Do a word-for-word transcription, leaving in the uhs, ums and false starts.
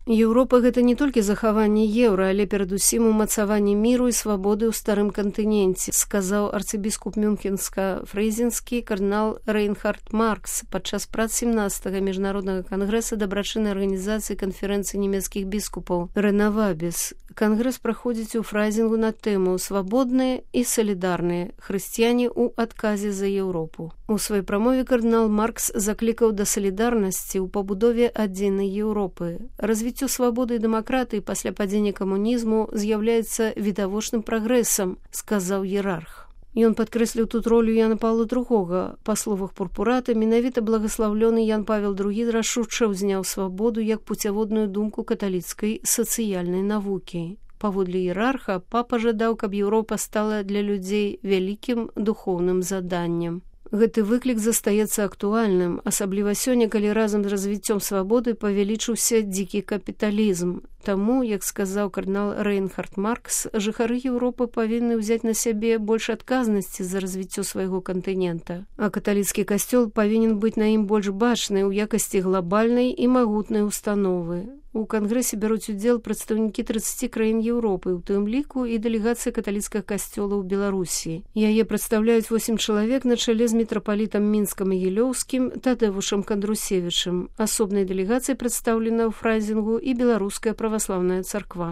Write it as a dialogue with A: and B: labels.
A: Еўропа гэта не толькі захаванне еўра, але перадусім умацаванне міру і свабоды ў старым кантыненце, сказаў арцыбіскуп мюнхенска-фрэйзенскі кардынал Рейнхард Маркс падчас прац сямнадцатага міжнароднага кангрэса дабрачыннай арганізацыі канферэнцыі нямецкіх біскупаў «Рэнавабіс». Кангрэс праходзіць у Фрайзінгу на тэму «Свабодныя і салідарныя хрысціяне ў адказе за Еўропу». У сваёй прамове кардынал Маркс заклікаў да салідарнасці ў пабудове адзінай Еўропы. Развіццё свабоды і дэмакратыі пасля падзення камунізму з'яўляецца відавочным прагрэсам, сказаў іерарх. Ён падкрэсліў тут ролю Яна Паўла другога. Па словах пурпурата, менавіта благаслаўлёны Ян Павел другі рашуча ўзняў свабоду як пуцяводную думку каталіцкай сацыяльнай навукі. Паводле іерарха, папа жадаў, каб Еўропа стала для людзей вялікім духоўным заданнем. Гэты выклік застаецца актуальным, асабліва сёння, калі разам з развіццём свабоды павялічыўся дзікі капіталізм. Таму, як сказаў кардынал Рейнхард Маркс, жыхары Еўропы павінны ўзяць на сябе больш адказнасці за развіццё свайго кантынента. А каталіцкі касцёл павінен быць на ім больш бачны ў якасці глабальнай і магутнай установы. У кангрэсе бяруць удзел прадстаўнікі трыццаці краін Еўропы, у тым ліку і дэлегацыя каталіцкага касцёла ў Беларусі. Яе прадстаўляюць восем чалавек на чале з мітрапалітам мінска-магілёўскім Тадэвушам Кандрусевічым. Асобнай дэлегацыяй прадстаўлена ў Фрайзінгу і беларуская праваслаўная царква.